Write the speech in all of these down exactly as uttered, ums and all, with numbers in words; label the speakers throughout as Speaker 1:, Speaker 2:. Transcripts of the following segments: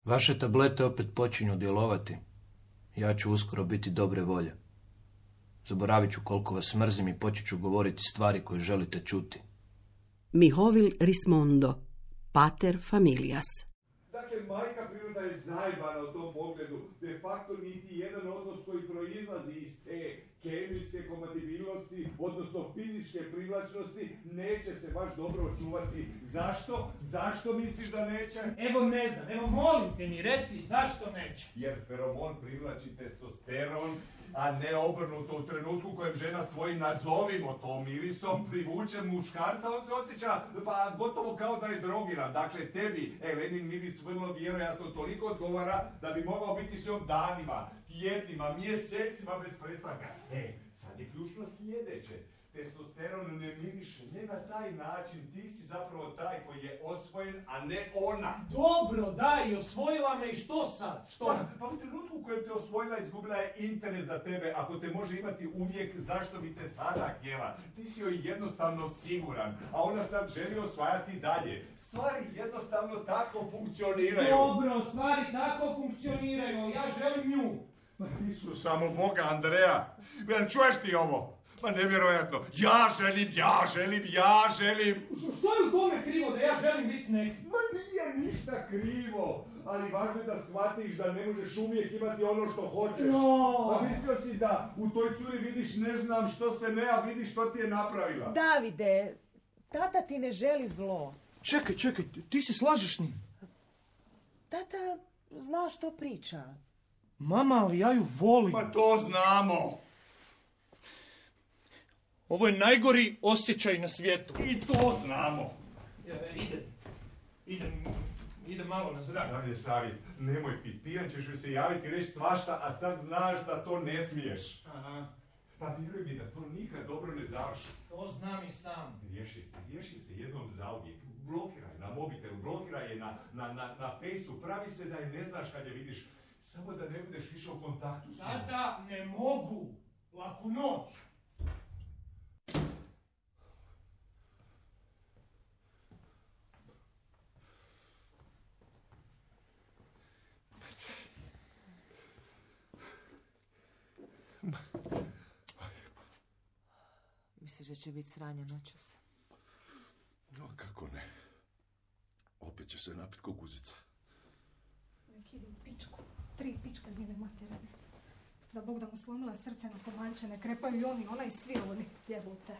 Speaker 1: Vaše tablete opet počinju djelovati. Ja ću uskoro biti dobre volje. Zaboravit ću koliko vas mrzim i počet ću govoriti stvari koje želite čuti.
Speaker 2: Mihovil Rismondo, Pater Familias.
Speaker 3: Dakle, majka priroda je zajebana u tom pogledu. De facto niti jedan odnos koji proizlazi iz te kemijske kompatibilnosti, odnosno fizičke privlačnosti, neće se baš dobro očuvati. Zašto? Zašto misliš da neće?
Speaker 4: Evo ne znam, evo molim te mi reci zašto neće.
Speaker 3: Jer feromon privlači testosteron, a ne obrnuto u trenutku u kojem žena svojim, nazovimo to, mirisom privuče muškarca, on se osjeća pa gotovo kao da je drogiran. Dakle, tebi Elenin miris vrlo vjerojatno toliko odgovara da bi mogao biti s njom danima, tjednima, mjesecima bez prestanka. E, sad je ključno sljedeće. Testosteron ne miriše, ne na taj način, ti si zapravo taj koji je osvojen, a ne ona.
Speaker 4: Dobro, daj, osvojila me i što sad? Što?
Speaker 3: Pa, pa u trenutku u kojem te osvojila, izgubila je interes za tebe. Ako te može imati uvijek, zašto bi te sada htjela? Ti si joj jednostavno siguran, a ona sad želi osvajati dalje. Stvari jednostavno tako funkcioniraju.
Speaker 4: Dobro, stvari tako funkcioniraju, ja želim nju.
Speaker 3: Ma ti su samo Boga, Andreja. Jel čuješ ti ovo? Ma nevjerojatno. Ja želim, ja želim, ja želim.
Speaker 4: Što je u tome krivo da ja želim biti s nekim?
Speaker 3: Ma nije ništa krivo, ali važno je da shvatiš da ne možeš uvijek imati ono što hoćeš.
Speaker 4: No.
Speaker 3: Pa mislio si da u toj curi vidiš ne znam što se ne, a vidiš što ti je napravila.
Speaker 5: Davide, tata ti ne želi zlo.
Speaker 6: Čekaj, čekaj, ti se slažeš s njim?
Speaker 5: Tata zna što priča.
Speaker 6: Mama, ali ja ju volim.
Speaker 3: Pa to znamo.
Speaker 6: Ovo je najgori osjećaj na svijetu.
Speaker 3: I to znamo.
Speaker 4: Ja, idem, idem, idem malo na zrak.
Speaker 3: Davide, Savit, nemoj pit, pijan ćeš joj se javiti i reći svašta, a sad znaš da to ne smiješ.
Speaker 4: Aha.
Speaker 3: Pa vjeruj mi da to nikad dobro ne završi.
Speaker 4: To znam i sam.
Speaker 3: Riješi se, riješi se jednom zauvijek. Blokiraj na mobitelu, blokiraj je na, na, na, na fejsu, pravi se da je ne znaš kad je vidiš. Samo da ne budeš više u kontaktu s njom.
Speaker 4: Tata, ne mogu. Laku noć.
Speaker 5: Misliš da će biti sranja noćas?
Speaker 3: No, kako ne. Opet će se napit ko guzica.
Speaker 7: Nek ide u pičku. Tri pičke njene materine. Da Bog da mu slomila srce na komanče, ne krepaju i oni, ona i svi oni. Jebote.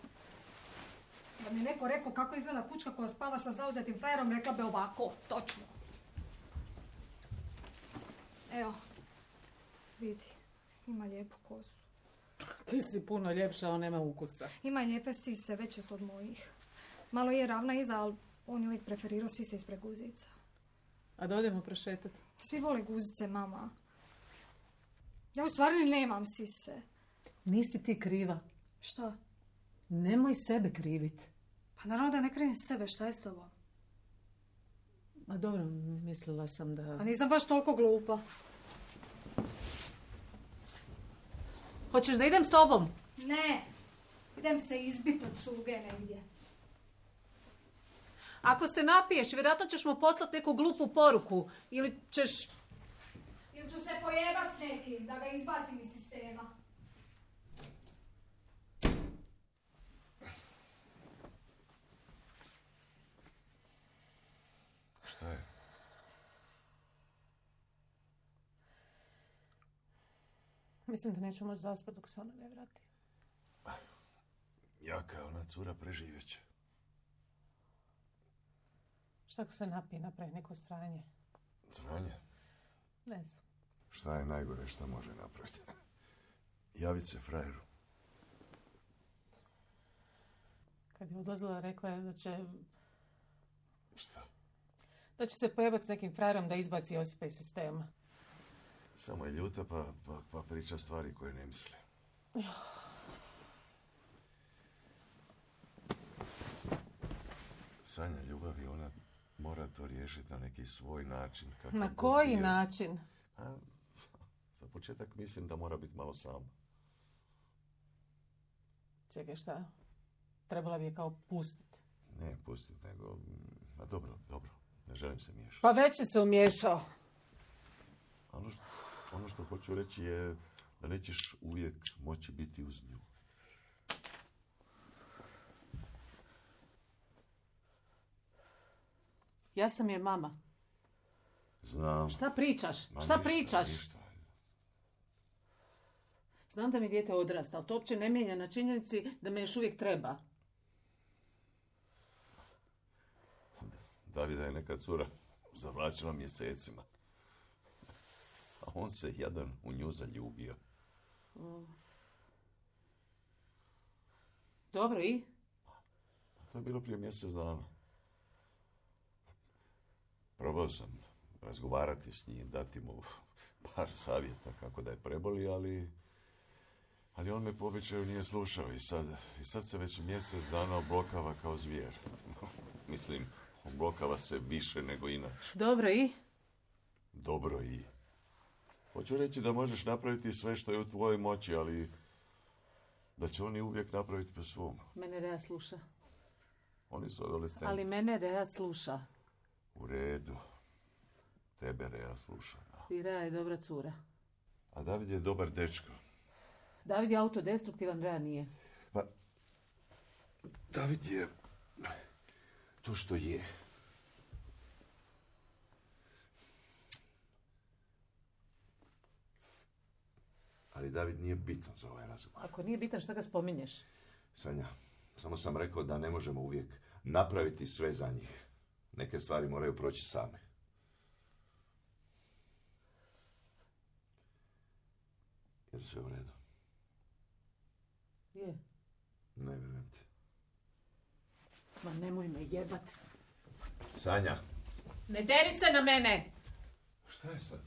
Speaker 7: Da mi neko rekao kako izgleda kućka koja spava sa zauzetim frajerom, rekla bi ovako, točno. Evo, vidi, ima lijepu kosu.
Speaker 5: Ti si puno ljepša, on nema ukusa.
Speaker 7: Ima i lijepe sise, veće su od mojih. Malo je ravna iza, ali on je uvijek preferirao sise ispred guzica.
Speaker 5: A da odemo prošetati?
Speaker 7: Svi vole guzice, mama. Ja u stvari nemam sise.
Speaker 5: Nisi ti kriva.
Speaker 7: Šta?
Speaker 5: Nemoj sebe kriviti.
Speaker 7: Pa naravno da ne krivim sebe, šta je s tobom?
Speaker 5: Ma dobro, mislila sam da...
Speaker 7: A nisam baš toliko glupa.
Speaker 5: Hoćeš da idem s tobom?
Speaker 7: Ne, idem se izbiti od cuge negdje.
Speaker 5: Ako se napiješ, vjerojatno ćeš mu poslati neku glupu poruku. Ili ćeš...
Speaker 7: Ili ću se pojebat s nekim, da ga izbacim iz sistema.
Speaker 3: Šta je?
Speaker 5: Mislim da neću moći zaspati dok se ona ne vrati.
Speaker 3: Jaka ona cura preživjet će.
Speaker 5: Šta ako se napije, napravi neko sranje?
Speaker 3: Sranje?
Speaker 5: Ne znam.
Speaker 3: Šta je najgore šta može napraviti? Javit se frajeru.
Speaker 5: Kad je odlazila, rekla je da će...
Speaker 3: Šta?
Speaker 5: Da će se pojebati s nekim frajerom da izbaci Josipa iz sistema.
Speaker 3: Samo je ljuta pa, pa, pa priča stvari koje ne misli. Sanja ljubavi, ona mora to riješiti na neki svoj način.
Speaker 5: Na koji način?
Speaker 3: A, za početak mislim da mora biti malo sama.
Speaker 5: Čekaj, šta? Trebala bi je kao pustiti.
Speaker 3: Ne pustiti, nego... A dobro, dobro. Ne želim se miješati.
Speaker 5: Pa već si se umiješao.
Speaker 8: ono što hoću reći je da nećeš uvijek moći biti uz nju.
Speaker 5: Ja sam je mama.
Speaker 8: Znam.
Speaker 5: Šta pričaš?
Speaker 8: Ma
Speaker 5: Šta
Speaker 8: ništa,
Speaker 5: pričaš?
Speaker 8: ništa.
Speaker 5: Znam da mi dijete odrasta, ali to uopće ne mijenja na činjenici da me još uvijek treba.
Speaker 8: Davida je neka cura zavlačila mjesecima. A on se jadan u nju zaljubio.
Speaker 5: Mm. Dobro, i?
Speaker 8: To je bilo prije mjesec dana. Probao sam razgovarati s njim, dati mu par savjeta kako da je preboli, ali... Ali on me po običaju nije slušao i sad, i sad se već mjesec dana oblokava kao zvijer. Mislim, oblokava se više nego inače.
Speaker 5: Dobro, i?
Speaker 8: Dobro, i? Hoću reći da možeš napraviti sve što je u tvojoj moći, ali da će oni uvijek napraviti po svom.
Speaker 5: Mene Rea sluša.
Speaker 8: Oni su adolescenti.
Speaker 5: Ali mene Rea sluša.
Speaker 8: U redu. Tebe Rea sluša. Da.
Speaker 5: I Rea je dobra cura.
Speaker 8: A David je dobar dečko.
Speaker 5: David je autodestruktivan, Rea nije.
Speaker 8: Pa, David je to što je. Ali David nije bitan za ovaj razgovor.
Speaker 5: Ako nije bitan, šta ga spominješ?
Speaker 8: Sanja, samo sam rekao da ne možemo uvijek napraviti sve za njih. Neke stvari moraju proći same. Jer sve u redu.
Speaker 5: Je.
Speaker 8: Ne vjerujem ti.
Speaker 5: Ma nemoj me jebat.
Speaker 8: Sanja.
Speaker 5: Ne deri se na mene!
Speaker 8: Šta je sad?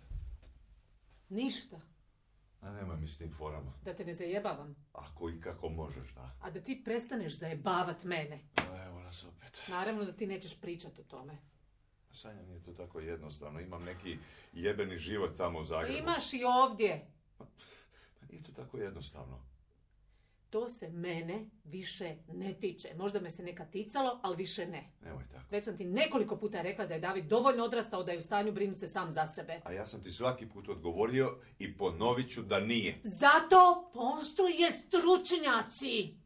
Speaker 5: Ništa.
Speaker 8: A nema mi s tim forama.
Speaker 5: Da te ne zajebavam.
Speaker 8: Ako i kako možeš, da.
Speaker 5: A da ti prestaneš zajebavat mene.
Speaker 8: A evo nas opet.
Speaker 5: Naravno da ti nećeš pričat o tome.
Speaker 8: Sanja, nije to tako jednostavno. Imam neki jebeni život tamo u Zagrebu.
Speaker 5: Imaš i ovdje.
Speaker 8: Pa nije to tako jednostavno.
Speaker 5: To se mene više ne tiče. Možda me se neka ticalo, ali više ne.
Speaker 8: Nemoj tako.
Speaker 5: Već sam ti nekoliko puta rekla da je David dovoljno odrastao da je u stanju brinuti se sam za sebe.
Speaker 8: A ja sam ti svaki put odgovorio i ponovit ću da nije.
Speaker 5: Zato postoje stručnjaci.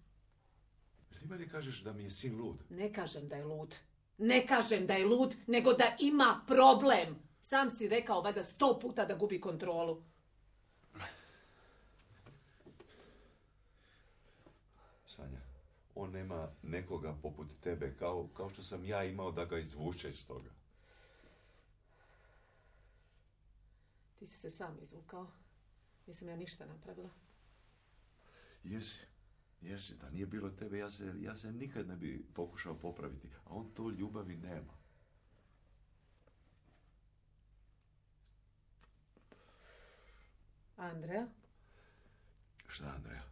Speaker 8: Jer ti meni kažeš da mi je sin lud.
Speaker 5: Ne kažem da je lud. Ne kažem da je lud, nego da ima problem. Sam si rekao valjda sto puta da gubi kontrolu.
Speaker 8: Sanja, on nema nekoga poput tebe, kao, kao što sam ja imao da ga izvuče iz toga.
Speaker 5: Ti si se sam izvukao. Nisam ja ništa napravila.
Speaker 8: Jesi, jesi, da nije bilo tebe, ja se, ja se nikad ne bi pokušao popraviti, a on to ljubavi nema.
Speaker 5: Andreja?
Speaker 8: Šta, Andreja?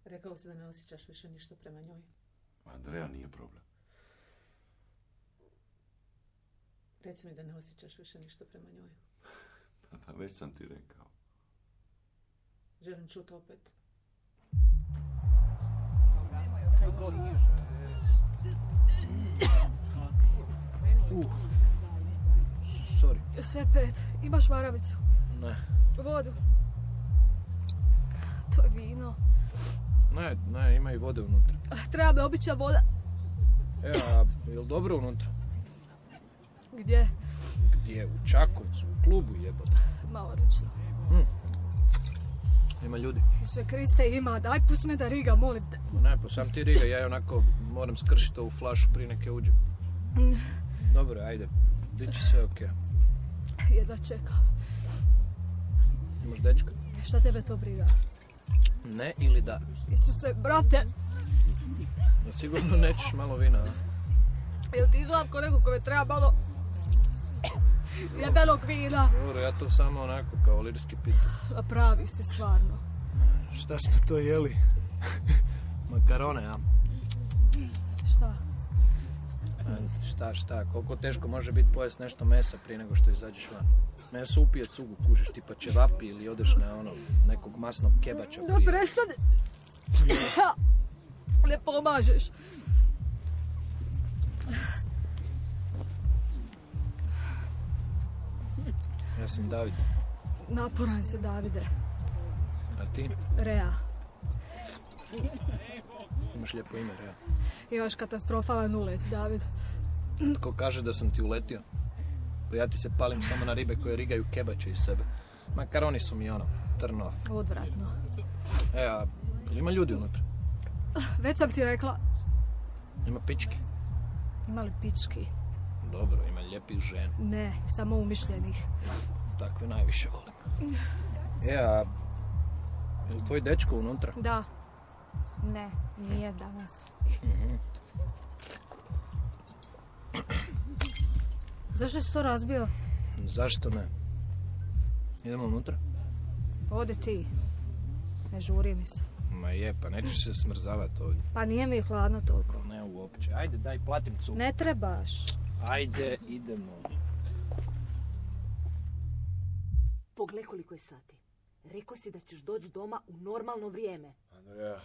Speaker 5: Rekao si da ne osjećaš više ništa prema njoj.
Speaker 8: Andreja nije problem.
Speaker 5: Reci mi da ne osjećaš više ništa prema njoj.
Speaker 8: Pa, pa već sam ti rekao.
Speaker 5: Želim čuti opet.
Speaker 1: Uh, sorry.
Speaker 7: Sve pet. Imaš maravicu?
Speaker 1: Ne.
Speaker 7: Vodu? To je vino.
Speaker 1: Ne, ne, ima i vode unutra.
Speaker 7: Treba me obična voda.
Speaker 1: E, a je li dobro unutra?
Speaker 7: Gdje?
Speaker 1: Gdje? U Čakovcu, u klubu jebate.
Speaker 7: Ma odlično.
Speaker 1: Hm. Ima ljudi.
Speaker 7: Isuse Kriste, ima. Daj, pust me da riga, molim te.
Speaker 1: Ne, pa sam ti riga, ja onako moram skršiti ovu flašu prije neke uđe.
Speaker 7: Mm.
Speaker 1: Dobro, ajde. Biće sve okej.
Speaker 7: Jedva čekam.
Speaker 1: Imaš dečka?
Speaker 7: Šta tebe to briga?
Speaker 1: Ne ili da?
Speaker 7: Isuse, brate.
Speaker 1: No, sigurno nećeš malo vina, a?
Speaker 7: Jel ti izgledam ko neko kome treba malo jebenog vina?
Speaker 1: Dobro, ja to samo onako kao lirski pitu.
Speaker 7: A pravi si stvarno.
Speaker 1: Šta smo to jeli? Makarone, a?
Speaker 7: Šta?
Speaker 1: A, šta, šta? Koliko teško može biti pojest nešto mesa prije nego što izađeš van? Meso upije cugu, kužiš tipa ćevapi ili odeš na ono, nekog masnog kebača prije.
Speaker 7: Da prestane. Ne pomažeš.
Speaker 1: Ja sam David.
Speaker 7: Naporan se, Davide.
Speaker 1: A ti?
Speaker 7: Rea.
Speaker 1: Imaš lijepo ime, Rea.
Speaker 7: Imaš katastrofalan ulet, David.
Speaker 1: Tko kaže da sam ti uletio? Pa ja ti se palim samo na ribe koje rigaju kebače iz sebe. Makaroni su mi ono, trnov.
Speaker 7: Odvratno.
Speaker 1: E, a ima ljudi unutra?
Speaker 7: Već sam ti rekla,
Speaker 1: Ima pički?
Speaker 7: ima li pički?
Speaker 1: Dobro, ima lijepih žena.
Speaker 7: Ne, samo umišljenih.
Speaker 1: Takve najviše volim. E, a je li tvoj dečko unutra?
Speaker 7: Da. Ne, nije danas. Zašto si to razbio?
Speaker 1: Zašto ne? Idemo unutra?
Speaker 7: Ode ti. Ne žuri mi se.
Speaker 1: Ma je, pa nećeš se smrzavati ovdje.
Speaker 7: Pa nije mi hladno toliko.
Speaker 1: Ne uopće. Ajde, daj, platim cuk.
Speaker 7: Ne trebaš.
Speaker 1: Ajde, idemo.
Speaker 9: Poglej koliko je sati. Rekao si da ćeš doći doma u normalno vrijeme.
Speaker 8: Andreja.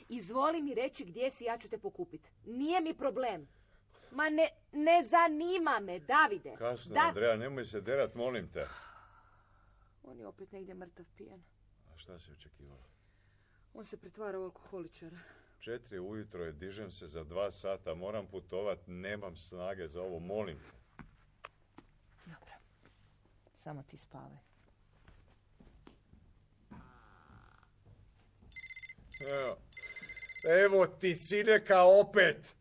Speaker 9: Izvoli mi reći gdje si, ja ću te pokupiti. Nije mi problem. Ma ne, ne zanima me, Davide.
Speaker 8: Kasno,
Speaker 9: Da-
Speaker 8: Andreja, nemoj se derat, molim te.
Speaker 9: On je opet negdje mrtav pijan.
Speaker 8: A šta si očekivala?
Speaker 9: On se pretvara u alkoholičara.
Speaker 8: Četiri ujutro je, dižem se za dva sata, moram putovat, nemam snage za ovo, molim te.
Speaker 9: Dobro. Samo ti spavaj.
Speaker 8: Evo, evo ti sineka opet!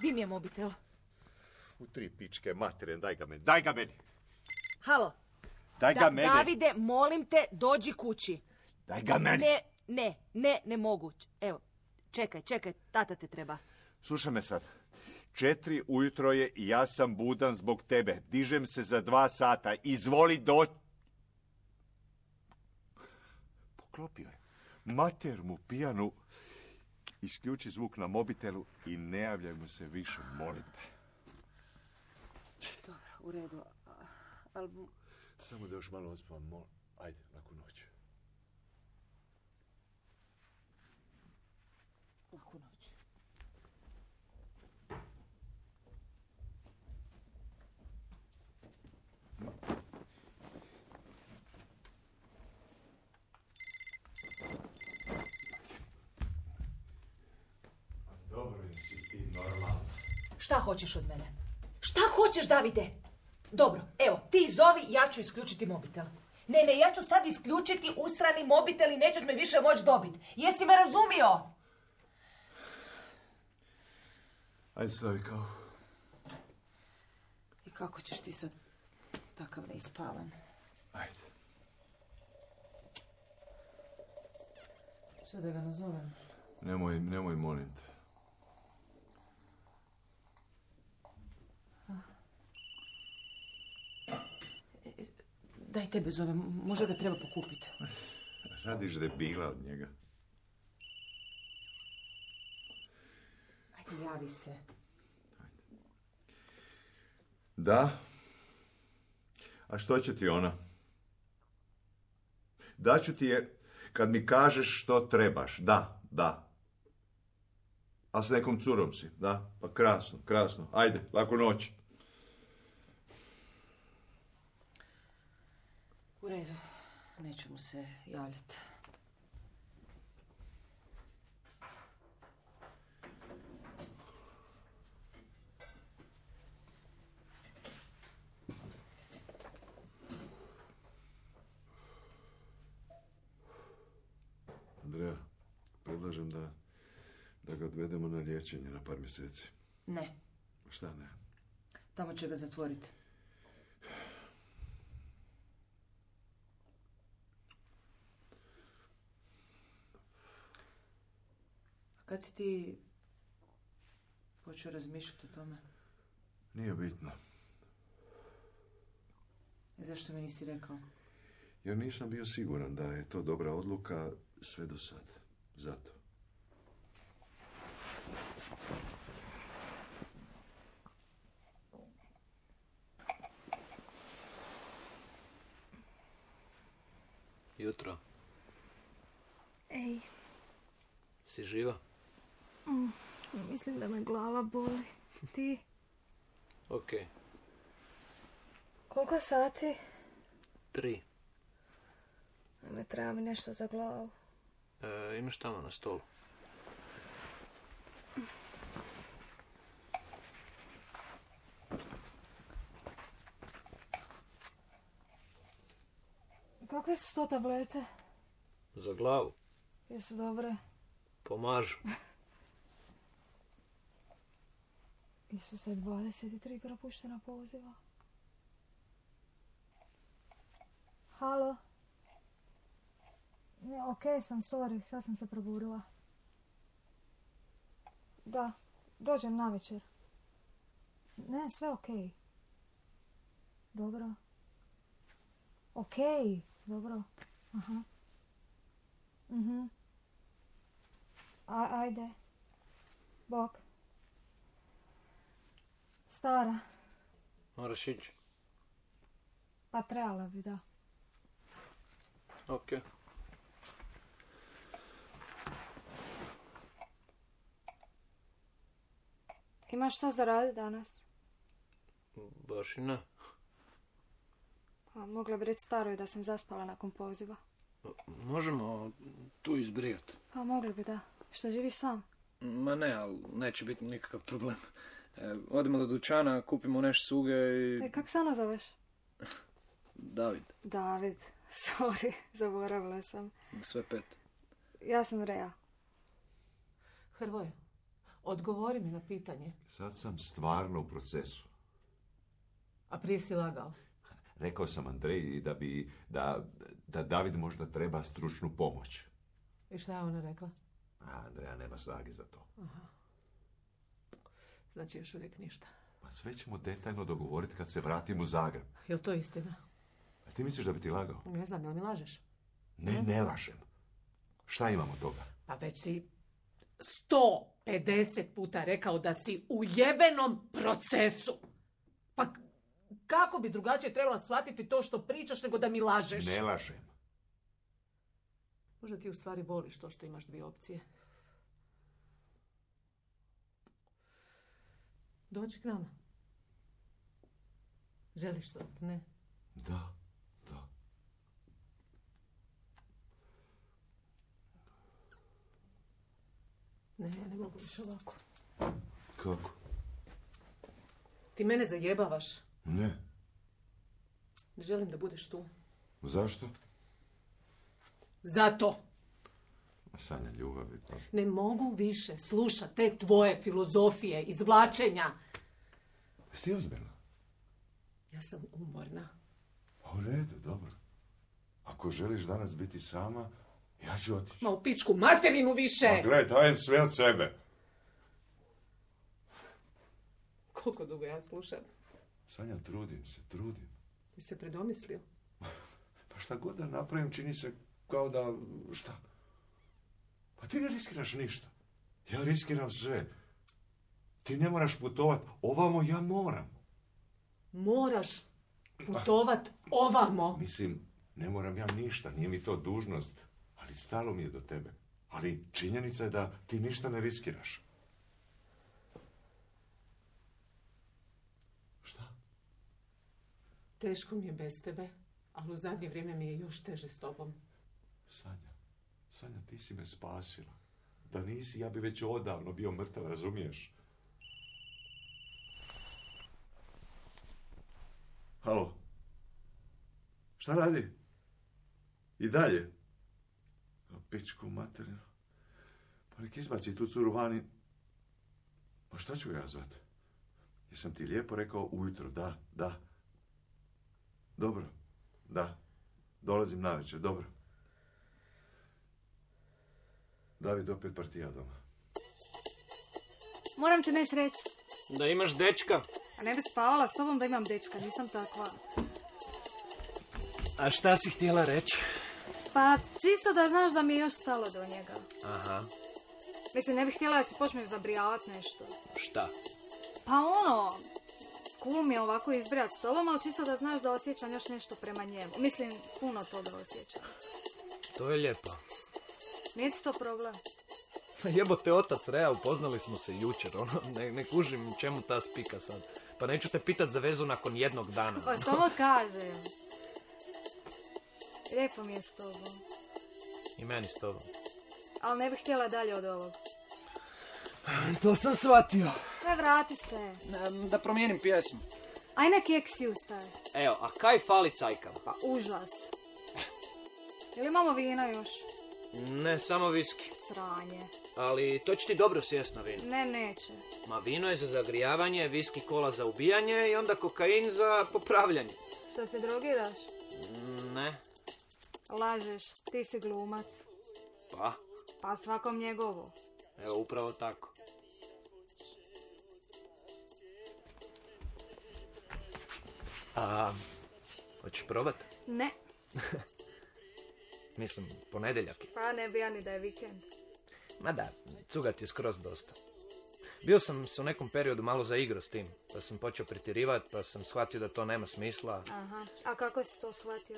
Speaker 9: Di mi je mobitel?
Speaker 8: U tri pičke materine, daj ga meni, daj ga meni!
Speaker 9: Halo.
Speaker 8: Daj ga
Speaker 9: Da-
Speaker 8: meni!
Speaker 9: Davide, molim te, dođi kući.
Speaker 8: Daj ga meni!
Speaker 9: Ne, ne, ne, ne mogu. Evo, čekaj, čekaj, tata te treba.
Speaker 8: Slušaj me sad. Četiri ujutro je i ja sam budan zbog tebe. Dižem se za dva sata. Izvoli doći. Poklopio je. Mater mu pijanu. Isključi zvuk na mobitelu i ne javljaj mu se više, molim te.
Speaker 9: Dobro, u redu. Ali
Speaker 8: Samo da još malo ospavam, molim. Ajde, laku noć.
Speaker 9: laku noć.
Speaker 8: Dobro, nisi ti normalno.
Speaker 9: Šta hoćeš od mene? Šta hoćeš, Davide? Dobro, evo, ti zovi, ja ću isključiti mobitel. Ne, ne, ja ću sad isključiti ustrani mobitel i nećeš me više moći dobiti. Jesi me razumio?
Speaker 8: Ajde, stavi kao.
Speaker 9: I kako ćeš ti sad takav neispavan?
Speaker 8: Ajde.
Speaker 9: Šta da ga nazovem?
Speaker 8: Nemoj, nemoj, molim te.
Speaker 9: Daj tebe zovem, možda ga treba pokupiti.
Speaker 8: Radiš debila od njega.
Speaker 9: Ajde, javi se.
Speaker 8: Da? A što će ti ona? Daću ti je kad mi kažeš što trebaš. Da, da. A s nekom curom si, da? Pa krasno, krasno. Ajde, laku noć.
Speaker 9: U redu, neću mu se javljati.
Speaker 8: Andreja, predlažem da, da ga odvedemo na liječenje na par mjeseci.
Speaker 9: Ne,
Speaker 8: Šta ne?
Speaker 9: tamo će ga zatvoriti. A kad si ti počeo razmišljati o tome?
Speaker 8: Nije bitno.
Speaker 9: I zašto mi nisi rekao?
Speaker 8: Jer nisam bio siguran da je to dobra odluka sve do sad. Zato.
Speaker 1: Jutro.
Speaker 7: Ej,
Speaker 1: Si živa?
Speaker 7: mislim da me glava boli. Ti?
Speaker 1: Okej.
Speaker 7: Koliko sati?
Speaker 1: Tri.
Speaker 7: Ne treba mi nešto za glavu.
Speaker 1: E, imaš tamo na stolu.
Speaker 7: Kakve su to tablete?
Speaker 1: Za glavu.
Speaker 7: Jesu dobre?
Speaker 1: Pomažu.
Speaker 7: Isuse, dvadeset tri propuštena poziva. Halo? Ne, okej sam, sorry, sad sam se proburila. Da, dođem navečer. Ne, sve okej. Dobro. Okej, dobro. Aha. Mhm. A, ajde. Bok. Stara.
Speaker 1: Moraš ići.
Speaker 7: Pa trebala bi, da.
Speaker 1: Ok.
Speaker 7: Imaš šta za raditi danas?
Speaker 1: Baš i ne.
Speaker 7: A, mogla bi reći staroj da sam zaspala nakon poziva.
Speaker 1: Možemo tu izbrijati.
Speaker 7: A, mogli bi, da. Što, živiš sam?
Speaker 1: Ma ne, ali neće biti nikakav problem. E, odemo do dućana, kupimo nešto suge i...
Speaker 7: E, kak se ona zoveš?
Speaker 1: David.
Speaker 7: David. Sorry, zaboravila sam.
Speaker 1: Sve pet.
Speaker 7: Ja sam Rea.
Speaker 5: Hrvoje, odgovori mi na pitanje.
Speaker 8: Sad sam stvarno u procesu.
Speaker 5: A prije si lagao.
Speaker 8: Rekao sam Andreji da bi, da, da David možda treba stručnu pomoć.
Speaker 5: I šta je ona rekla?
Speaker 8: A Andreja nema snage za to.
Speaker 5: Aha. Znači još uvijek ništa.
Speaker 8: Pa sve ćemo detaljno dogovoriti kad se vratim u Zagreb.
Speaker 5: Jel to istina?
Speaker 8: A ti misliš da bi ti lagao?
Speaker 5: Ne znam, jel mi lažeš?
Speaker 8: Ne, ne lažem. Šta imamo od toga?
Speaker 5: Pa već si sto pedeset puta rekao da si u jebenom procesu. Pa kako bi drugačije trebala shvatiti to što pričaš nego da mi lažeš?
Speaker 8: Ne lažem.
Speaker 5: Možda ti u stvari voliš to što imaš dvije opcije. Dođi k nama. Želiš to, ne?
Speaker 8: Da, da.
Speaker 5: Ne, ja ne mogu više ovako.
Speaker 8: Kako?
Speaker 5: Ti mene zajebavaš.
Speaker 8: Ne.
Speaker 5: Ne želim da budeš tu.
Speaker 8: Zašto?
Speaker 5: Zato.
Speaker 8: Sanja ljubavi to.
Speaker 5: Ne mogu više slušati te tvoje filozofije, izvlačenja.
Speaker 8: Jesi ti ozbiljna?
Speaker 5: Ja sam umorna.
Speaker 8: Pa u redu, dobro. Ako želiš danas biti sama, ja ću otići.
Speaker 5: Ma u pičku materinu više!
Speaker 8: Pa gledaj, dajem sve od sebe.
Speaker 5: Koliko dugo ja slušam?
Speaker 8: Sanja, trudim se, trudim.
Speaker 5: Ti se predomislio?
Speaker 8: Pa šta god da napravim, čini se kao da... šta? Pa ti ne riskiraš ništa. Ja riskiram sve. Ti ne moraš putovat ovamo, ja moram.
Speaker 5: Moraš putovat ovamo.
Speaker 8: Mislim, ne moram ja ništa, nije mi to dužnost, ali stalo mi je do tebe. Ali činjenica je da ti ništa ne riskiraš. Šta?
Speaker 5: Teško mi je bez tebe, ali u zadnje vrijeme mi je još teže s tobom.
Speaker 8: Sanja, Sanja, ti si me spasila. Da nisi, ja bi već odavno bio mrtav, razumiješ? Halo? Šta radi? I dalje? A pičku materinu. Pa nek izbaci tu curu vani. Pa šta ću ja zvat? Jesam ti lijepo rekao ujutro, da, da. Dobro, da. Dolazim navečer, dobro. David, opet partija doma.
Speaker 7: Moram ti nešto reći.
Speaker 1: Da imaš dečka.
Speaker 7: A ne bi spavala s tobom da imam dečka, nisam takva.
Speaker 1: A šta si htjela reći?
Speaker 7: Pa čisto da znaš da mi je još stalo do njega.
Speaker 1: Aha.
Speaker 7: Mislim, ne bih htjela da si počneš zabrijavat nešto.
Speaker 1: Šta?
Speaker 7: Pa ono, cool mi je ovako izbrijat s tobom, ali čisto da znaš da osjećam još nešto prema njemu. Mislim, puno toga osjećam.
Speaker 1: To je lijepo.
Speaker 7: Nije ti to problem?
Speaker 1: Jebote, otac Rea, upoznali smo se jučer, ono, ne, ne kužim čemu ta spika sad. Pa neću te pitat za vezu nakon jednog dana.
Speaker 7: Pa samo kažem. Lijepo mi je s tobom.
Speaker 1: I meni s tobom.
Speaker 7: Ali ne bih htjela dalje od ovog.
Speaker 1: To sam shvatio.
Speaker 7: Sve vrati se.
Speaker 1: Da promijenim pjesmu.
Speaker 7: Aj ne keksi ustaje.
Speaker 1: Evo, a kaj fali cajkam?
Speaker 7: Pa užas. Ili imamo vina još?
Speaker 1: Ne, samo viski.
Speaker 7: Sranje.
Speaker 1: Ali to će ti dobro sjest na vino.
Speaker 7: Ne, neće.
Speaker 1: Ma vino je za zagrijavanje, viski kola za ubijanje i onda kokain za popravljanje.
Speaker 7: Što se drogiraš?
Speaker 1: Ne.
Speaker 7: Lažeš, ti si glumac.
Speaker 1: Pa?
Speaker 7: Pa svakom njegovo.
Speaker 1: Evo, upravo tako. A, hoćeš probat?
Speaker 7: Ne.
Speaker 1: Mislim, ponedjeljak je.
Speaker 7: Pa ne bi ja ni da je vikend.
Speaker 1: Ma da, cugat je skroz dosta. Bio sam se u nekom periodu malo zaigrao s tim, pa sam počeo pretjerivati, pa sam shvatio da to nema smisla.
Speaker 7: Aha, a kako si to shvatio?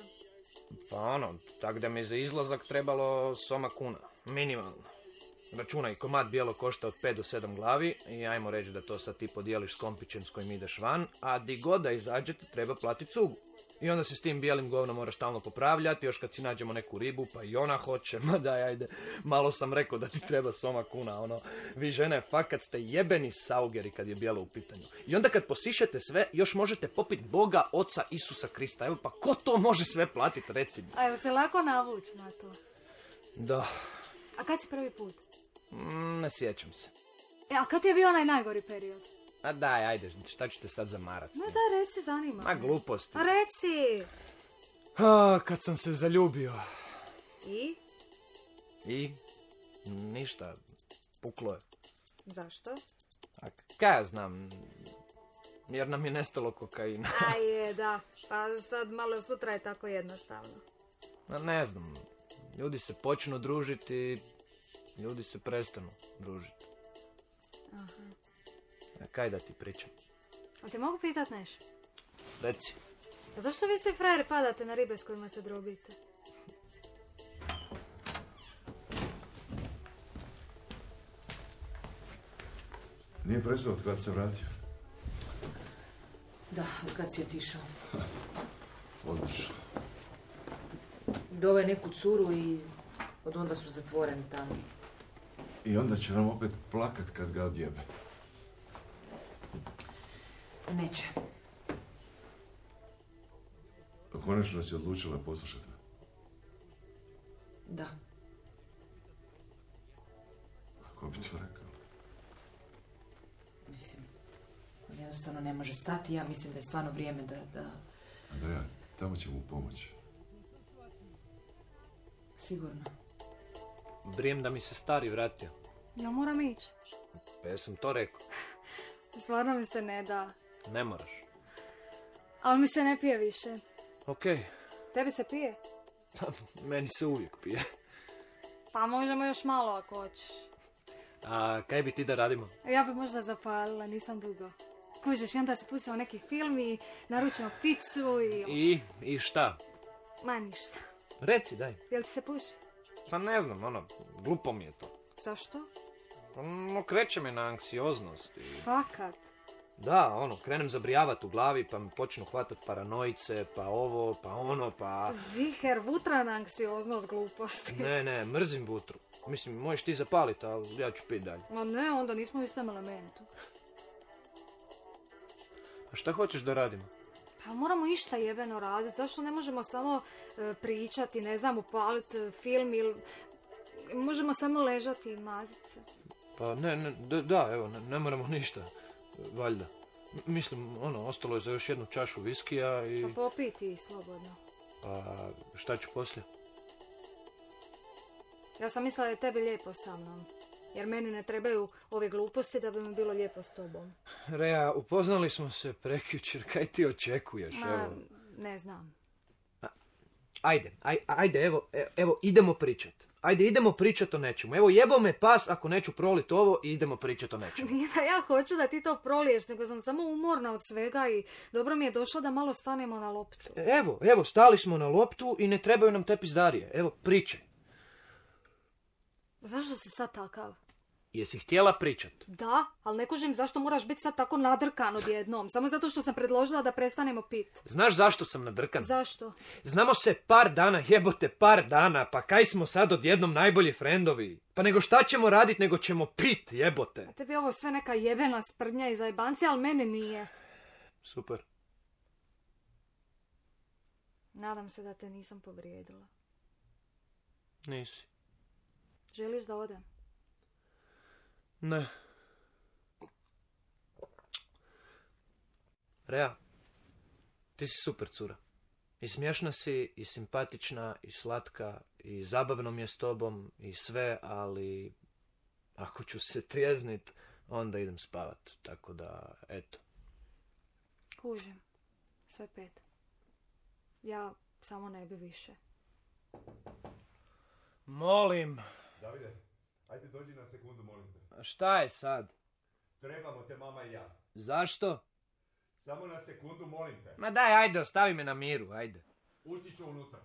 Speaker 1: Pa ono, tak da mi je za izlazak trebalo soma kuna, minimalno. Računaj, komad bijelo košta od pet do sedam glavi i ajmo reći da to sad ti podijeliš s kompićem s kojim ideš van, a di god da izađete treba platiti cugu. I onda se s tim bijelim govnom mora stalno popravljati, još kad si nađemo neku ribu, pa i ona hoće, ma daj, ajde, malo sam rekao da ti treba soma kuna, ono, vi žene, fakat ste jebeni saugeri kad je bijelo u pitanju. I onda kad posišete sve, još možete popiti Boga, Oca Isusa Krista, evo, pa ko to može sve platiti, reci mi?
Speaker 7: A evo se lako navući na to.
Speaker 1: Da.
Speaker 7: A kad si prvi put?
Speaker 1: Mm, ne sjećam se.
Speaker 7: E, a kad je bio onaj najgori period?
Speaker 1: A daj, ajde, šta ću te sad zamarat?
Speaker 7: Ma da, reci, zanima.
Speaker 1: Ma gluposti.
Speaker 7: A reci!
Speaker 1: A, kad sam se zaljubio.
Speaker 7: I?
Speaker 1: I? Ništa. Puklo je.
Speaker 7: Zašto?
Speaker 1: A kaj ja znam? Jer nam je nestalo kokaina.
Speaker 7: A je, da. Pa sad malo sutra je tako jednostavno.
Speaker 1: Ma ne znam. Ljudi se počnu družiti, ljudi se prestanu družiti.
Speaker 7: Aha.
Speaker 1: A kaj da ti pričam?
Speaker 7: A ti mogu pitat nešto?
Speaker 1: Reci.
Speaker 7: A zašto vi svi frajeri padate na ribe s kojima se drobite?
Speaker 8: Nije prestao od kad se vratio?
Speaker 9: Da, od kad si otišao.
Speaker 8: Odlično.
Speaker 9: Dove neku curu i od onda su zatvoreni tamo.
Speaker 8: I onda će nam opet plakat kad ga odjebe.
Speaker 9: Neće.
Speaker 8: A konačno si odlučila poslušati me?
Speaker 9: Da.
Speaker 8: A ko bi to rekao?
Speaker 9: Mislim, on jednostavno ne može stati. Ja mislim da je stvarno vrijeme da... da...
Speaker 8: Andreja, tamo će mu pomoći.
Speaker 9: Sigurno.
Speaker 1: Brijem da mi se stari vratio.
Speaker 7: Ja moram ići.
Speaker 1: Pa ja sam to rekao.
Speaker 7: Stvarno mi se ne da.
Speaker 1: Ne moraš.
Speaker 7: Ali mi se ne pije više.
Speaker 1: Okej.
Speaker 7: Tebi se pije?
Speaker 1: Meni se uvijek pije.
Speaker 7: Pa možemo još malo ako hoćeš.
Speaker 1: A kaj bi ti da radimo?
Speaker 7: Ja bi možda zapalila, nisam dugo. Kužiš, i onda se pustimo neki film i naručimo picu i...
Speaker 1: I, i šta?
Speaker 7: Ma ništa.
Speaker 1: Reci, daj.
Speaker 7: Jel ti se puši?
Speaker 1: Pa ne znam, ono, glupo mi je to.
Speaker 7: Zašto?
Speaker 1: No, kreće me na anksioznost i...
Speaker 7: Fakat.
Speaker 1: Da, ono, krenem zabrijavati u glavi, pa mi počnu hvatati paranojice, pa ovo, pa ono, pa...
Speaker 7: Ziher, vutrana anksioznost gluposti.
Speaker 1: Ne, ne, mrzim vutru. Mislim, možeš ti zapaliti, ali ja ću piti dalje.
Speaker 7: Ma ne, onda nismo u istom elementu.
Speaker 1: A šta hoćeš da radimo?
Speaker 7: Pa moramo išta jebeno raditi. Zašto ne možemo samo e, pričati, ne znam, upaliti e, film ili... Možemo samo ležati i maziti se.
Speaker 1: Pa ne, ne, da, da, evo, ne, ne moramo ništa, valjda. M- mislim, ono, ostalo je za još jednu čašu viskija i...
Speaker 7: Pa popij ti slobodno.
Speaker 1: A šta ću poslije?
Speaker 7: Ja sam mislila da je tebi lijepo sa mnom. Jer meni ne trebaju ove gluposti da bi mi bilo lijepo s tobom.
Speaker 1: Rea, upoznali smo se prekjučer, kaj ti očekuješ,
Speaker 7: Ma,
Speaker 1: evo?
Speaker 7: ne znam.
Speaker 1: Ajde, aj, ajde, evo, e- evo, idemo pričat. Ajde, idemo pričat o nečemu. Evo, jebo me pas ako neću prolit ovo i idemo pričat o nečemu.
Speaker 7: Nije da ja hoću da ti to proliješ, nego sam samo umorna od svega i dobro mi je došlo da malo stanemo na loptu.
Speaker 1: Evo, evo, stali smo na loptu i ne trebaju nam te pizdarije. Evo, pričaj.
Speaker 7: Zašto si sad takav?
Speaker 1: Jesi htjela pričat?
Speaker 7: Da, ali ne kužim zašto moraš biti sad tako nadrkan odjednom. Samo zato što sam predložila da prestanemo pit.
Speaker 1: Znaš zašto sam nadrkan?
Speaker 7: Zašto?
Speaker 1: Znamo se par dana, jebote, par dana. Pa kaj smo sad odjednom najbolji frendovi? Pa nego šta ćemo radit, nego ćemo pit, jebote.
Speaker 7: A tebi je ovo sve neka jebena sprdnja i zajebanci, ali meni nije.
Speaker 1: Super.
Speaker 7: Nadam se da te nisam povrijedila.
Speaker 1: Nisi.
Speaker 7: Želiš da odem?
Speaker 1: Ne. Rea, ti si super cura. I smiješna si, i simpatična, i slatka, i zabavno mi je s tobom, i sve, ali ako ću se trijeznit, onda idem spavat. Tako da, eto.
Speaker 7: Kužim. Sve pet. Ja samo ne bi više.
Speaker 1: Molim.
Speaker 3: Davide, ajde dođi na sekundu, molim te.
Speaker 1: A šta je sad?
Speaker 3: Trebamo te mama i ja.
Speaker 1: Zašto?
Speaker 3: Samo na sekundu, molim te.
Speaker 1: Ma daj, ajde, ostavi me na miru, ajde.
Speaker 3: Ući ću unutra.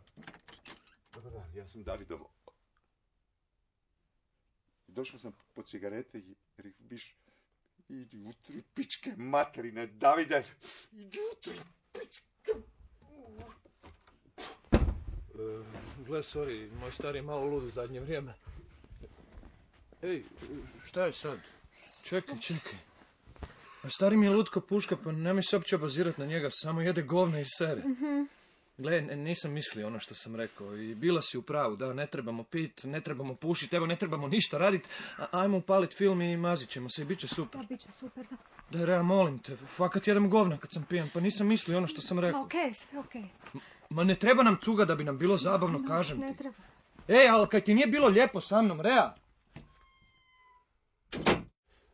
Speaker 8: Dobar dan, ja sam Davidov. Došao sam po cigarete jer ih viš... Idi utri pičke materine, Davide. Idi utri pičke...
Speaker 1: E, gle, sorry, moj stari je malo lud u zadnje vrijeme. Ej, šta je sad?
Speaker 6: Čekaj, čekaj. A stari mi je lutko puška, pa nemoj se uopće obazirat na njega, samo jede govna i sere.
Speaker 7: Mm-hmm.
Speaker 6: Gle, n- nisam mislio ono što sam rekao i bila si u pravu, da, ne trebamo pit, ne trebamo pušit, evo, ne trebamo ništa radit, a- ajmo upalit film i mazit ćemo se i bit će super.
Speaker 7: Da, bit će super, da.
Speaker 6: Da, Rea, molim te, fakat jedem govna kad sam pijan, pa nisam mislio ono što sam rekao.
Speaker 7: Ma okej, sve okej.
Speaker 6: Ma ne treba nam cuga da bi nam bilo zabavno,
Speaker 7: No,
Speaker 6: kažem
Speaker 7: ne
Speaker 6: ti.
Speaker 7: treba.
Speaker 6: Ej, ali kaj ti nije bilo lijepo sa mnom, Rea?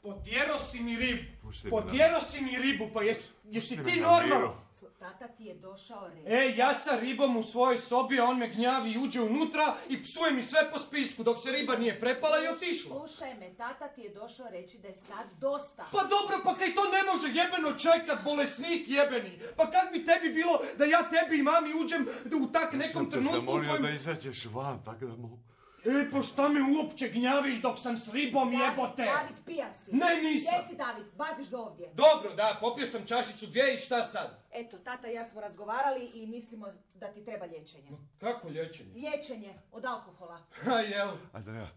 Speaker 6: Potjero si mi ribu. Potjero si mi ribu, pa jes, jesi ti normalno?
Speaker 9: Tata ti je došao red.
Speaker 6: E, ja sa ribom u svojoj sobi, a on me gnjavi i uđe unutra i psuje mi sve po spisku dok se riba nije prepala i otišla.
Speaker 9: Slušaj me, tata ti je došao reći da je sad dosta.
Speaker 6: Pa dobro, pa kaj to ne može jebeno čekat, bolesnik jebeni. Pa kak bi tebi bilo da ja tebi i mami uđem u tak nekom trenutku u
Speaker 8: zamolio
Speaker 6: kojem...
Speaker 8: da izađeš van, tako da mogu...
Speaker 6: E, pa šta me uopće gnjaviš dok sam s ribom jebote?
Speaker 9: David, pijan si.
Speaker 6: Ne, nisam.
Speaker 9: Jesi, David, baziš do ovdje.
Speaker 6: Dobro, da, popio sam čašicu dvije i šta sad?
Speaker 9: Eto, tata i ja smo razgovarali i mislimo da ti treba liječenje.
Speaker 6: Kako liječenje?
Speaker 9: Liječenje od alkohola.
Speaker 6: Ha, jel?
Speaker 8: Andreja,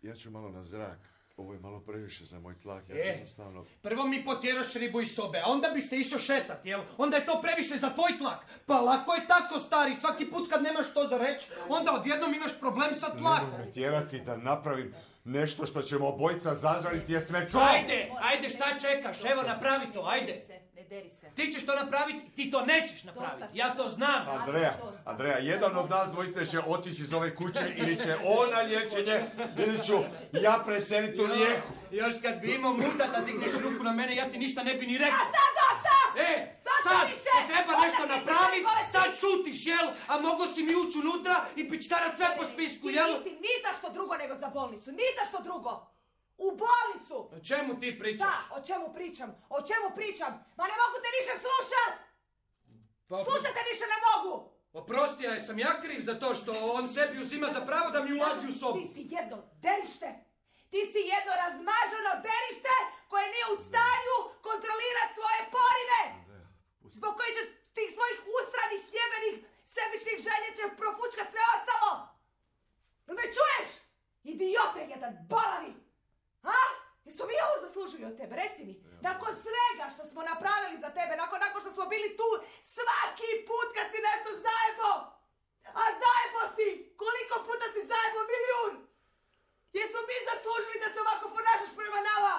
Speaker 8: ja ću malo na zrak. Ovo je malo previše za moj tlak, ja
Speaker 6: E.
Speaker 8: jednostavno...
Speaker 6: Prvo mi potjeraš ribu iz sobe, a onda bi se išao šetat, jel? Onda je to previše za tvoj tlak. Pa lako je tako, stari, svaki put kad nemaš što za reći, onda odjednom imaš problem sa tlakom.
Speaker 3: Nemoj me tjerati da napravim nešto što ćemo obojica zažaliti je sve čuo.
Speaker 6: Ajde, ajde, šta čekaš? Evo, napravi to, ajde.
Speaker 9: Ne deri se, ne deri se.
Speaker 6: Ti ćeš to napraviti, ti to nećeš napraviti,
Speaker 9: Dosta
Speaker 6: ja to znam.
Speaker 3: Andreja, Andreja, jedan od nas dvojice će otići iz ove kuće ili će on na liječenje ili ću ja preseliti u Rijeku.
Speaker 6: Još kad bi imao muda da digneš ruku na mene, ja ti ništa ne bi ni rekao.
Speaker 9: A sad dosta!
Speaker 6: E,
Speaker 9: Dosta
Speaker 6: sad,
Speaker 9: više!
Speaker 6: kad treba
Speaker 9: Onda
Speaker 6: nešto
Speaker 9: ti se
Speaker 6: napraviti,
Speaker 9: bolesti.
Speaker 6: sad šutiš, jel? A mogo si mi ući unutra i pičkarat sve po spisku,
Speaker 9: Ti
Speaker 6: jel?
Speaker 9: nisi ni za što drugo nego za bolnicu, ni za što drugo. U bolnicu!
Speaker 6: O čemu ti pričaš?
Speaker 9: Šta? O čemu pričam? O čemu pričam? Ma ne mogu te više slušat!
Speaker 6: Pa,
Speaker 9: Slušat te više ne mogu!
Speaker 6: oprosti, ja sam ja kriv za to što on sebi uzima za pravo da mi ulazi u sobu.
Speaker 9: Ti si jedno derište! Ti si jedno razmaženo derište koje nije u stanju kontrolirati svoje porive! Zbog koji će tih svojih ustranih, jebenih, sebičnih želja će profučkat sve ostalo! Jel me čuješ? Idiote jedan, balavi! A? Jesu mi ovo zaslužili od tebe? Reci mi, nakon svega što smo napravili za tebe, nakon, nakon što smo bili tu svaki put kad si nešto zajebo! A zajebo si! Koliko puta si zajebo? Milijun! Jesu mi zaslužili da se ovako ponašaš prema nama?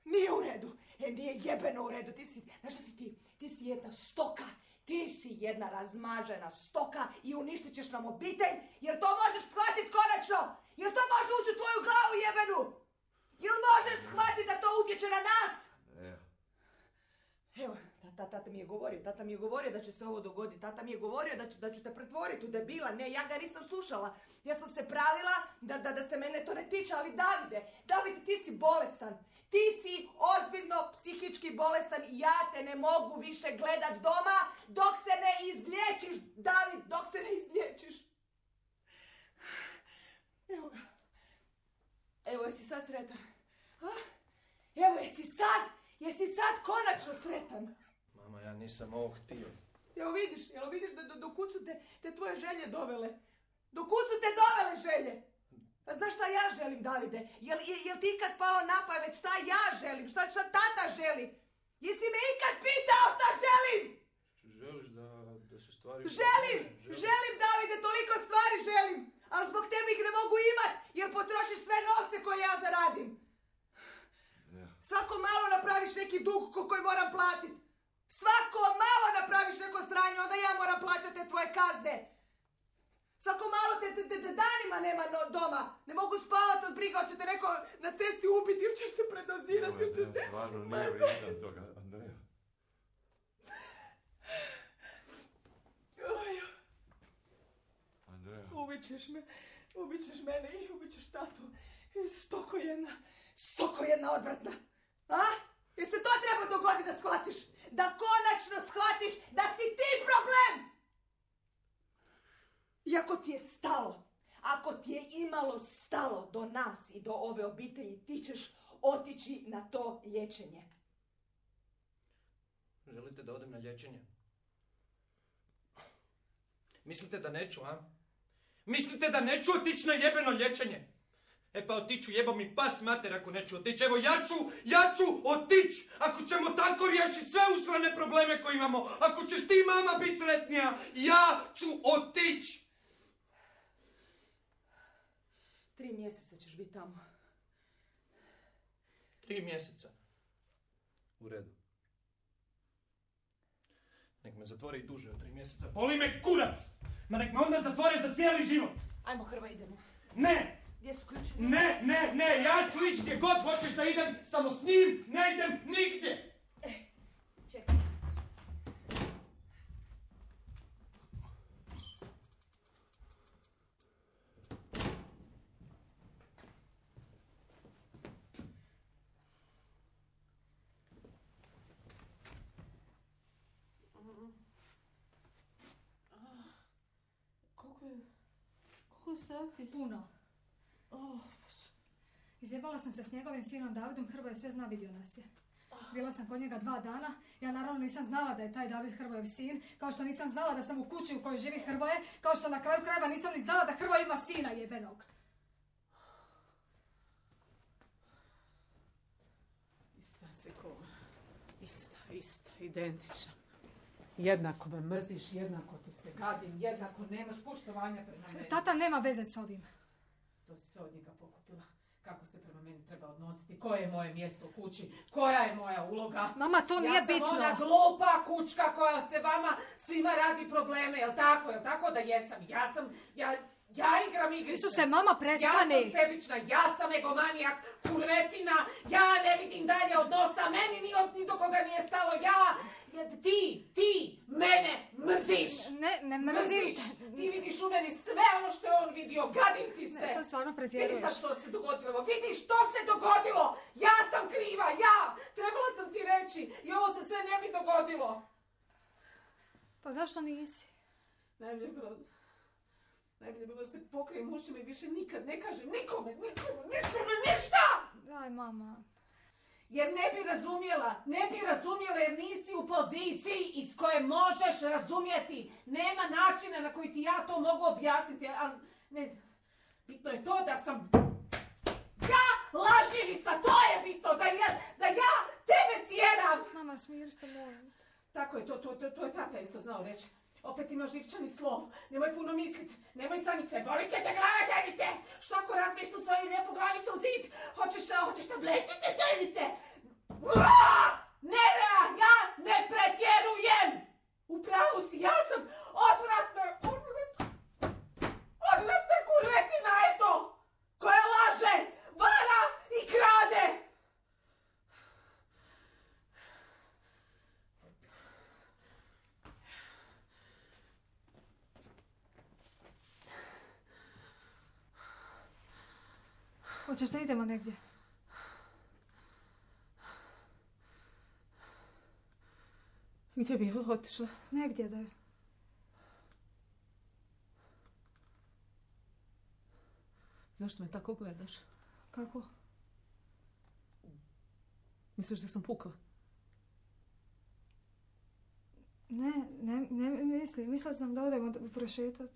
Speaker 9: Nije u redu. E, nije jebeno u redu. Ti si, znaš šta si ti? Ti si jedna stoka. Ti si jedna razmažena stoka i uništit ćeš nam obitelj, jer to možeš shvatit konačno. Jer to može ući u tvoju glavu jebenu. Jel možeš shvatit da to utječe na nas? Evo, tata, tata mi je govorio, tata mi je govorio da će se ovo dogoditi, tata mi je govorio da ću, da ću te pretvoriti u debila, ne, ja ga nisam slušala. Ja sam se pravila da, da, da se mene to ne tiče, ali Davide, Davide, ti si bolestan. Ti si ozbiljno psihički bolestan i ja te ne mogu više gledat doma dok se ne izliječiš, David, dok se ne izliječiš. Evo ga. Evo, jesi sad sretan? A? Evo, jesi sad? Jesi sad konačno sretan?
Speaker 1: Mama, ja nisam ovo htio.
Speaker 9: Jel vidiš, jel vidiš da do, do kud su te, te tvoje želje dovele? Do kud su te dovele želje? A znaš šta ja želim, Davide? Jel, jel, jel ti ikad pao na pamet šta ja želim? Šta, šta tata želi? Jesi me ikad pitao šta želim?
Speaker 1: Želiš da, da se stvari...
Speaker 9: Želim! Želim, Davide, toliko stvari želim! Ali zbog tebe ih ne mogu imat, jer potrošiš sve novce koje ja zaradim. Svako malo napraviš neki dug ko koji moram platit. Svako malo napraviš neko sranje, onda ja moram plaćati te tvoje kazne. Svako malo te, te, te, te danima nema no, doma. Ne mogu spavati od briga, hoće te neko na cesti ubiti ili ćeš se predozirati.
Speaker 8: Evo, ja stvarno nije vrijedan toga, Andreja. Andreja.
Speaker 9: Ubit ćeš me, ubit ćeš mene i ubit ćeš tatu. Stoko jedna, stoko jedna odvratna. A? Jel se to treba dogoditi da shvatiš? Da konačno shvatiš da si ti problem! I ako ti je stalo, ako ti je imalo stalo do nas i do ove obitelji, ti ćeš otići na to liječenje.
Speaker 1: Želite da odem na liječenje? Mislite da neću, a? Mislite da neću otići na jebeno liječenje? E pa otiću, jebo mi pas mater ako neću otići. Evo ja ću, ja ću otići ako ćemo tako riješiti sve usrane probleme koje imamo. Ako ćeš ti, mama, biti sretnija, ja ću otići.
Speaker 9: Tri mjeseca ćeš biti tamo.
Speaker 1: Tri mjeseca. U redu. Nek me zatvore i duže od tri mjeseca. Boli me kurac! Ma nek me onda zatvore za cijeli život.
Speaker 9: Ajmo, Hrvoje, idemo.
Speaker 1: Ne!
Speaker 9: Gdje su ključi?
Speaker 1: Ne, ne, ne, ja ću ići gdje god hoćeš da idem, samo s njim ne idem nigdje.
Speaker 9: E, čekaj.
Speaker 5: Koliko je... Koliko je sati?
Speaker 7: Puno.
Speaker 5: Oh,
Speaker 7: Izjebala sam se s njegovim sinom Davidom, Hrvoje sve zna, vidio nas je. Bila sam kod njega dva dana, ja naravno nisam znala da je taj David Hrvojev sin, kao što nisam znala da sam u kući u kojoj živi Hrvoje, kao što na kraju krajeva nisam ni znala da Hrvoje ima sina jebenog.
Speaker 5: Ista si ko... Ista, ista, identična. Jednako me mrziš, jednako ti se gadim, jednako nemaš poštovanja prema meni.
Speaker 7: Tata nema veze s ovim.
Speaker 5: To si sve od njega pokupila. Kako se prema meni treba odnositi, koje je moje mjesto u kući, koja je moja uloga.
Speaker 7: Mama, to nije bitno.
Speaker 5: Ja sam ona glupa kućka koja se vama svima radi probleme, jel tako, jel tako da jesam? Ja sam, ja, ja igram igrice.
Speaker 7: Isuse, mama, prestani.
Speaker 5: Ja sam sebična, ja sam egomanijak, kurvetina, ja ne vidim dalje od nosa, meni ni, od, ni do koga nije stalo, ja, ti, ti, mene mrziš.
Speaker 7: Ne, ne mrzim.
Speaker 5: Mrziš. Ti vidiš u meni sve ono što je on vidio, gadim ti se.
Speaker 7: Ne, sad stvarno pretjeruješ.
Speaker 5: Vidi sad što se dogodilo, vidi što se dogodilo. Ja sam kriva, ja. Trebala sam ti reći i ovo se sve ne bi dogodilo.
Speaker 7: Pa zašto nisi?
Speaker 5: Najbolje je bilo, najbolje je bilo da se pokrijem ušima i više nikad ne kažem nikome, nikome, nikome, ništa!
Speaker 7: Daj, mama.
Speaker 5: Jer ne bi razumjela, ne bi razumjela jer nisi u poziciji iz koje možeš razumjeti. Nema načina na koji ti ja to mogu objasniti, ali ne, bitno je to da sam ja lažljivica, to je bitno, da ja, da ja tebe tjeram.
Speaker 7: Mama, smir se, molim.
Speaker 5: Tako je, to, to, to, to je tata isto znao reći. Opet imaš živčani slov, nemoj puno mislit, nemoj sanice, boli te te glava, dajte! Što ako razbiješ tu svoju lijepu glavicu u zid? Hoćeš, hoćeš tabletice, dajte! Nerea, ja ne pretjerujem! U pravu si, ja sam odvratna, odvratna, odvratna kurvetina, eto! Koja laže, vara i krade!
Speaker 7: Hoćeš da idemo negdje?
Speaker 5: Gdje bi otišla?
Speaker 7: Negdje da je.
Speaker 5: Zašto me tako gledaš?
Speaker 7: Kako?
Speaker 5: Misliš da sam pukla?
Speaker 7: Ne, ne, ne mislim. Mislila sam da odemo prošetat.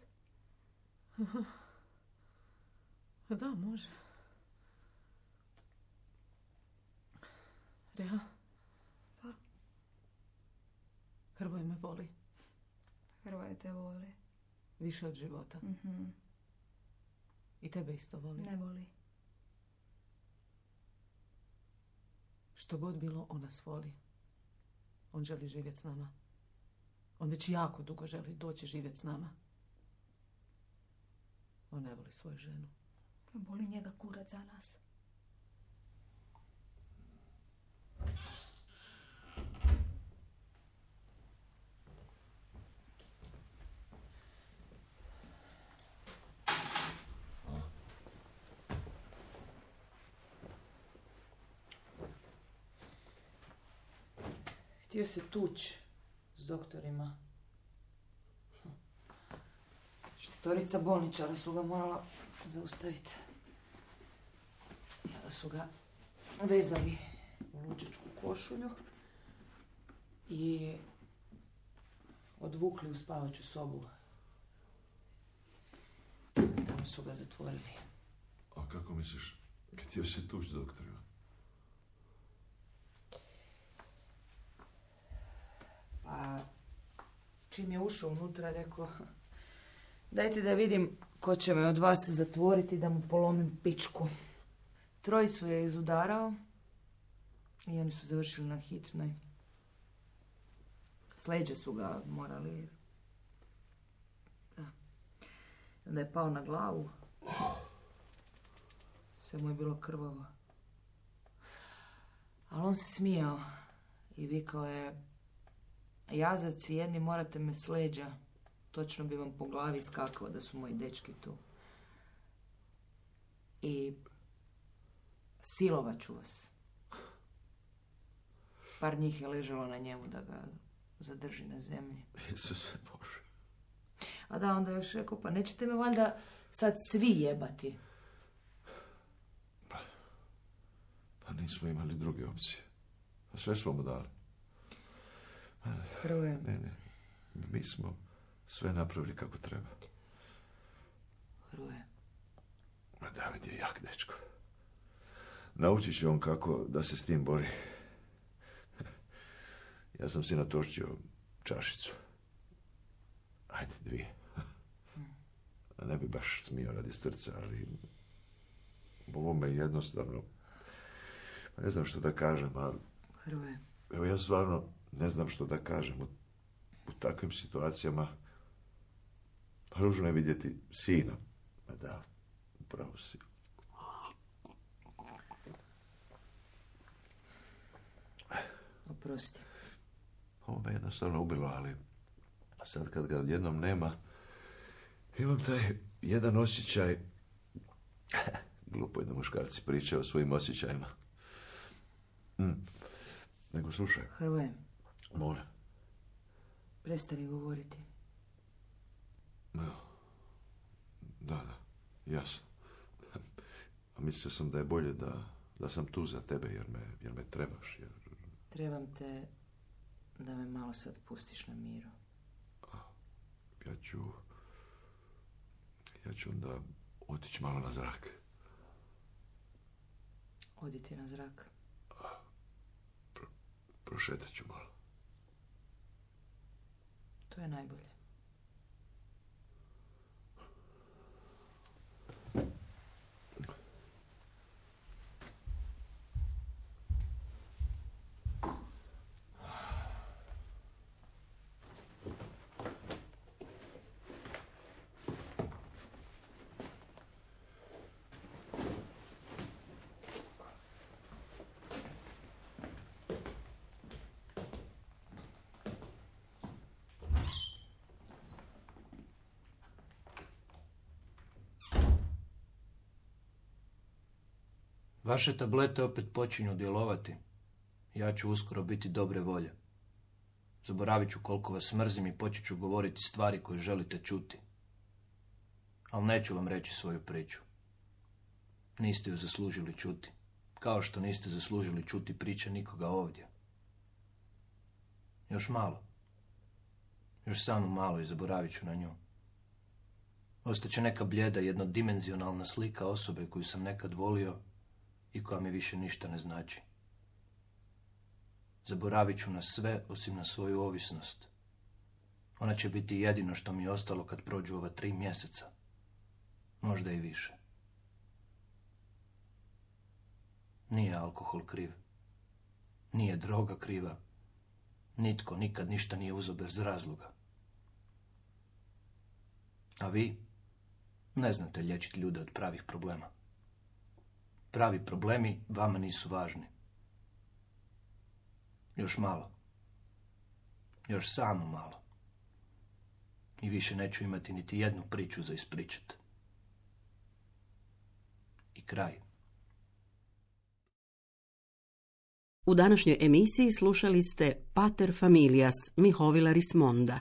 Speaker 5: Da, može. Reha?
Speaker 7: Da.
Speaker 5: Hrvoje me voli.
Speaker 7: Hrvoje te voli.
Speaker 5: Više od života.
Speaker 7: Mm-hmm.
Speaker 5: I tebe isto voli.
Speaker 7: Ne voli.
Speaker 5: Što god bilo, on nas voli. On želi živjeti s nama. On već jako dugo želi doći živjeti s nama. On ne voli svoju ženu.
Speaker 7: Boli njega kurac za nas.
Speaker 9: Htio se tuć s doktorima. Šestorica bolničara su ga morala zaustaviti. Onda su ga vezali u lučičku košulju i odvukli u spavaću sobu. Tamo su ga zatvorili.
Speaker 8: A kako misliš, htio se tuć s doktorima?
Speaker 9: Pa, čim je ušao unutra, rekao, dajte da vidim ko će me od vas zatvoriti da mu polomim pičku. Trojicu je izudarao i oni su završili na hitnoj. S leđa su ga morali. Da. Onda je pao na glavu. Sve mu je bilo krvavo. Ali on se smijao i vikao je, jazavci jedni, morate me s leđa. Točno bi vam po glavi skakao da su moji dečki tu. I silovat ću vas. Par njih je ležalo na njemu da ga zadrži na zemlji.
Speaker 8: Isuse Bože.
Speaker 9: A da, onda još rekao, pa nećete me valjda sad svi jebati.
Speaker 8: Pa, pa nismo imali druge opcije. Pa sve smo mu dali.
Speaker 9: Hrvoje.
Speaker 8: Ne, ne. Mi smo sve napravili kako treba.
Speaker 9: Hrvoje.
Speaker 8: Ma David je jak dečko. Naučit će on kako da se s tim bori. Ja sam si natošćio čašicu. Ajde, dvije. A ne bi baš smio radi srca, ali ovo me jednostavno, ne znam što da kažem, ali
Speaker 9: Hrvoje.
Speaker 8: Evo ja stvarno ne znam što da kažem u, u takvim situacijama. Pa ružno je vidjeti sina. Ma da, upravo si.
Speaker 9: Oprosti.
Speaker 8: Ovo me jednostavno ubilo, ali sad kad ga odjednom nema, imam taj jedan osjećaj. Glupo je da muškarci pričaju o svojim osjećajima. Mm. Nego slušaj.
Speaker 9: Hrvoje.
Speaker 8: Moram.
Speaker 9: Prestani govoriti.
Speaker 8: Da, da, jasno. A mislio sam da je bolje da, da sam tu za tebe, jer me, jer me trebaš. Jer...
Speaker 9: Trebam te da me malo sad pustiš na miru.
Speaker 8: Ja ću... Ja ću onda otići malo na zrak.
Speaker 9: Oditi na zrak.
Speaker 8: Pro, prošetat ću malo.
Speaker 9: To je najbolje.
Speaker 1: Vaše tablete opet počinju djelovati. Ja ću uskoro biti dobre volje. Zaboravit ću koliko vas mrzim i počet ću govoriti stvari koje želite čuti. Ali neću vam reći svoju priču. Niste ju zaslužili čuti. Kao što niste zaslužili čuti priče nikoga ovdje. Još malo. Još samo malo i zaboravit ću na nju. Ostaće neka bljeda, jednodimenzionalna slika osobe koju sam nekad volio i koja mi više ništa ne znači. Zaboravit ću na sve osim na svoju ovisnost. Ona će biti jedino što mi je ostalo kad prođu ova tri mjeseca. Možda i više. Nije alkohol kriv. Nije droga kriva. Nitko nikad ništa nije uzeo bez razloga. A vi ne znate liječiti ljude od pravih problema. Pravi problemi vama nisu važni. Još malo. Još samo malo. I više neću imati niti jednu priču za ispričat. I kraj.
Speaker 2: U današnjoj emisiji slušali ste Pater familias Mihovila Rismonda.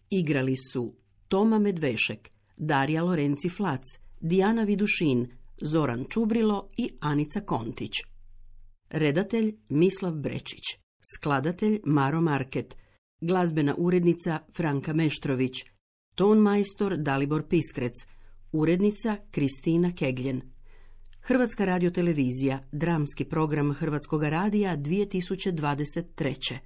Speaker 2: Igrali su Toma Medvešek, Darija Lorenci Flac, Dijana Vidušin, Zoran Čubrilo i Anica Kontić. Redatelj Mislav Brečić. Skladatelj Maro Market. Glazbena urednica Franka Meštrović. Ton majstor Dalibor Piskrec. Urednica Kristina Kegljen. Hrvatska radiotelevizija, dramski program Hrvatskoga radija dvije tisuće dvadeset treće.